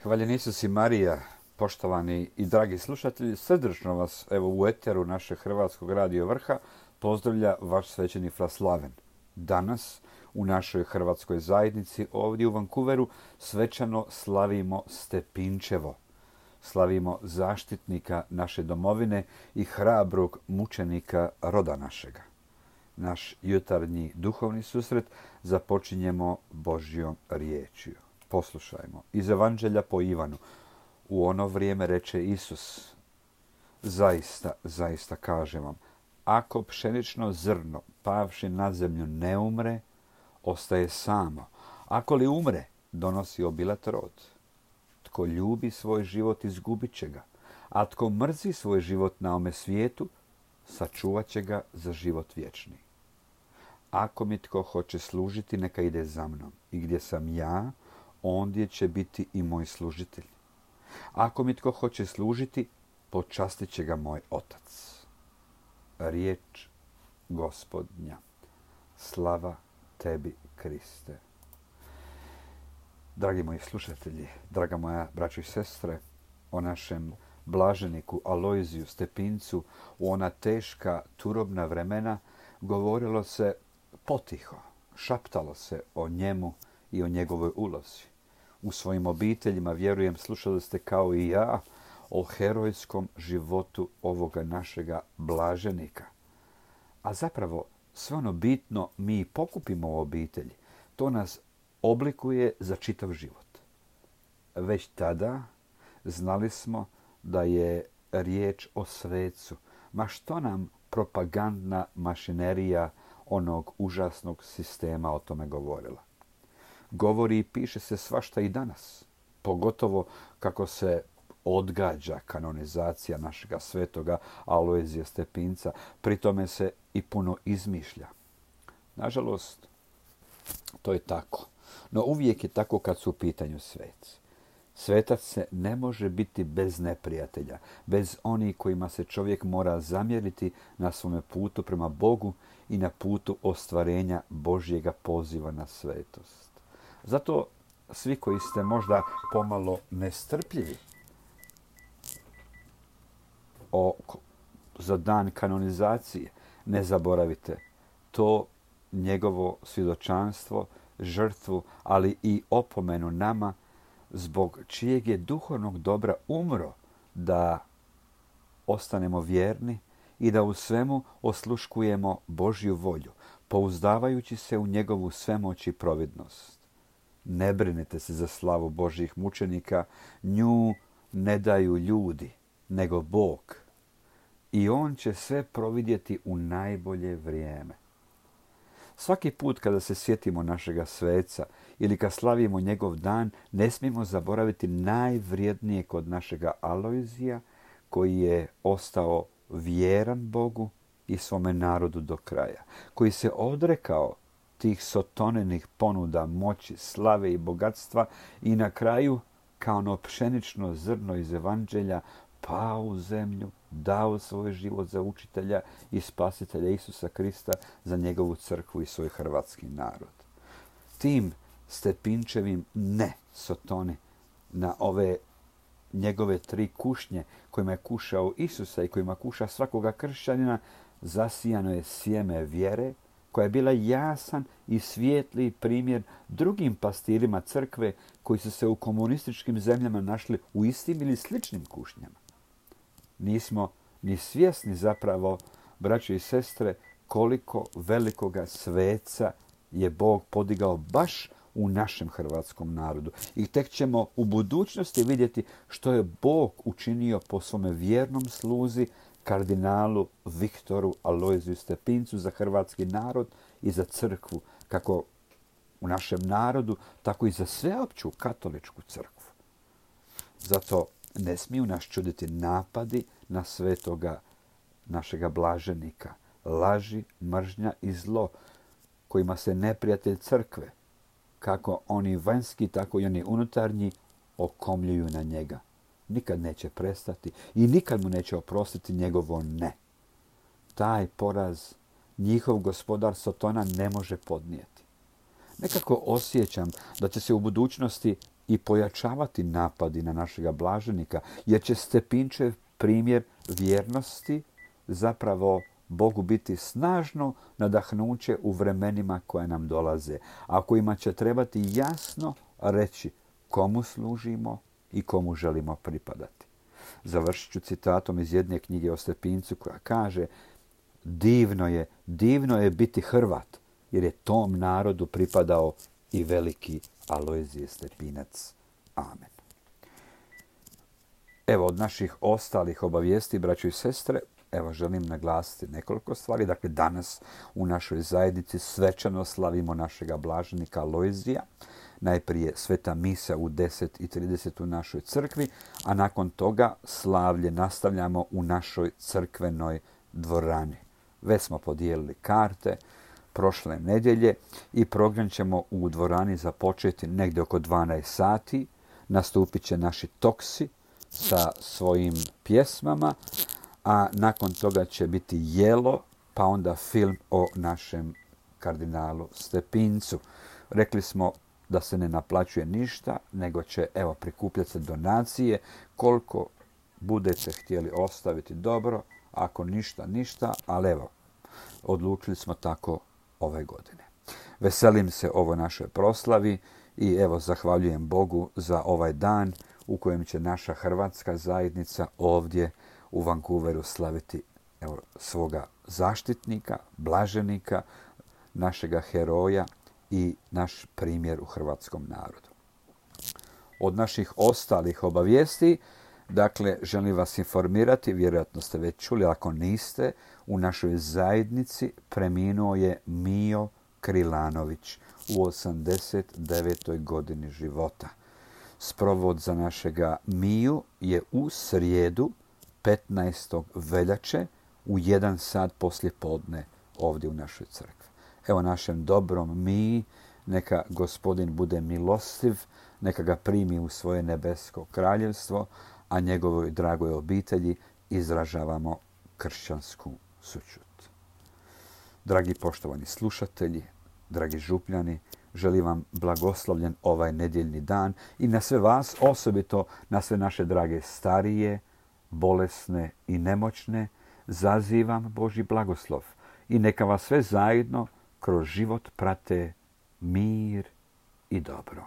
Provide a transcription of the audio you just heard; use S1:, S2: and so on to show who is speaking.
S1: Hvaljen Isus i Marija, poštovani i dragi slušatelji, srdačno vas evo u eteru našeg Hrvatskog radio Vrha pozdravlja vaš svećenik Fra Slaven. Danas u našoj hrvatskoj zajednici ovdje u Vancouveru svečano slavimo Stepinčevo. Slavimo zaštitnika naše domovine i hrabrog mučenika roda našega. Naš jutarnji duhovni susret započinjemo Božjom riječju. Poslušajmo. Iz Evanđelja po Ivanu. U ono vrijeme reče Isus: Zaista, zaista kažem vam, ako pšenično zrno pavši na zemlju ne umre, ostaje samo. Ako li umre, donosi obilat rod. Tko ljubi svoj život, izgubit će ga. A tko mrzi svoj život na ome svijetu, sačuvat će ga za život vječni. Ako mi tko hoće služiti, neka ide za mnom. I gdje sam ja, ondje će biti i moj služitelj. Ako mi tko hoće služiti, počastit će ga moj otac. Riječ Gospodnja. Slava tebi, Kriste. Dragi moji slušatelji, draga moja braćo i sestre, o našem blaženiku Alojziju Stepincu u ona teška turobna vremena govorilo se potiho, šaptalo se o njemu i o njegovoj ulozi. U svojim obiteljima, vjerujem, slušali ste kao i ja o herojskom životu ovoga našega blaženika. A zapravo sve ono bitno mi pokupimo u obitelji. To nas oblikuje za čitav život. Već tada znali smo da je riječ o svecu. Ma što nam propagandna mašinerija onog užasnog sistema o tome govorila? Govori i piše se svašta i danas. Pogotovo kako se odgađa kanonizacija našega svetoga Alojzija Stepinca. Pri tome se i puno izmišlja. Nažalost, to je tako. No uvijek je tako kad su u pitanju sveci. Svetac se ne može biti bez neprijatelja, bez onih kojima se čovjek mora zamjeriti na svome putu prema Bogu i na putu ostvarenja Božjega poziva na svetost. Zato svi koji ste možda pomalo nestrpljivi za dan kanonizacije, ne zaboravite to njegovo svjedočanstvo, žrtvu, ali i opomenu nama zbog čijeg je duhovnog dobra umro da ostanemo vjerni i da u svemu osluškujemo Božju volju, pouzdavajući se u njegovu svemoć i providnost. Ne brinite se za slavu Božjih mučenika, nju ne daju ljudi, nego Bog. I on će sve providjeti u najbolje vrijeme. Svaki put kada se sjetimo našega sveca ili kad slavimo njegov dan, ne smijemo zaboraviti najvrijednije kod našega Alojzija, koji je ostao vjeran Bogu i svome narodu do kraja, koji se odrekao tih sotonenih ponuda moći, slave i bogatstva i na kraju, kao ono pšenično zrno iz Evanđelja, pao u zemlju, dao svoj život za učitelja i spasitelja Isusa Krista, za njegovu crkvu i svoj hrvatski narod. Tim Stepinčevim ne sotoni na ove njegove 3 kušnje kojima je kušao Isusa i kojima kuša svakoga kršćanina, zasijano je sjeme vjere koja je bila jasan i svijetli primjer drugim pastirima crkve koji su se u komunističkim zemljama našli u istim ili sličnim kušnjama. Nismo ni svjesni zapravo, braćo i sestre, koliko velikoga sveca je Bog podigao baš u našem hrvatskom narodu. I tek ćemo u budućnosti vidjeti što je Bog učinio po svome vjernom sluzi kardinalu Viktoru Alojziju Stepincu za hrvatski narod i za crkvu, kako u našem narodu, tako i za sveopću katoličku crkvu. Zato ne smiju nas čuditi napadi na svetoga našega blaženika, laži, mržnja i zlo kojima se neprijatelj crkve, kako oni vanjski, tako i oni unutarnji, okomljuju na njega. Nikad neće prestati i nikad mu neće oprostiti njegovo ne. Taj poraz njihov gospodar Sotona ne može podnijeti. Nekako osjećam da će se u budućnosti i pojačavati napadi na našega blaženika, jer će Stepinčev primjer vjernosti zapravo Bogu biti snažno nadahnuće u vremenima koje nam dolaze, a kojima će trebati jasno reći komu služimo i komu želimo pripadati. Završit ću citatom iz jedne knjige o Stepincu koja kaže: divno je biti Hrvat, jer je tom narodu pripadao i veliki Alojzije Stepinac. Amen. Evo, od naših ostalih obavijesti, braćo i sestre, želim naglasiti nekoliko stvari. Dakle, danas u našoj zajednici svečano slavimo našega blaženika Alojzija. Najprije sveta misa u 10:30 u našoj crkvi, a nakon toga slavlje nastavljamo u našoj crkvenoj dvorani. Već smo podijelili karte prošle nedjelje i program ćemo u dvorani započeti negdje oko 12 sati. Nastupit će naši Toksi sa svojim pjesmama, a nakon toga će biti jelo, pa onda film o našem kardinalu Stepincu. Rekli smo da se ne naplaćuje ništa, nego će prikupljati se donacije. Koliko budete htjeli ostaviti, dobro, ako ništa, ali odlučili smo tako ove godine. Veselim se ovoj našoj proslavi i zahvaljujem Bogu za ovaj dan u kojem će naša hrvatska zajednica ovdje u Vancouveru slaviti svoga zaštitnika, blaženika, našega heroja i naš primjer u hrvatskom narodu. Od naših ostalih obavijesti, dakle, želim vas informirati, vjerojatno ste već čuli, ako niste, u našoj zajednici preminuo je Mijo Krilanović u 89. godini života. Sprovod za našega Miju je u srijedu 15. veljače u 1 sat poslije podne ovdje u našoj crkvi. Našem dobrom Miji neka Gospodin bude milostiv, neka ga primi u svoje nebesko kraljevstvo, a njegovoj dragoj obitelji izražavamo kršćansku sućut. Dragi poštovani slušatelji, dragi župljani, želim vam blagoslovljen ovaj nedjeljni dan i na sve vas, osobito na sve naše drage starije, bolesne i nemoćne, zazivam Božji blagoslov i neka vas sve zajedno kroz život prate mir i dobro.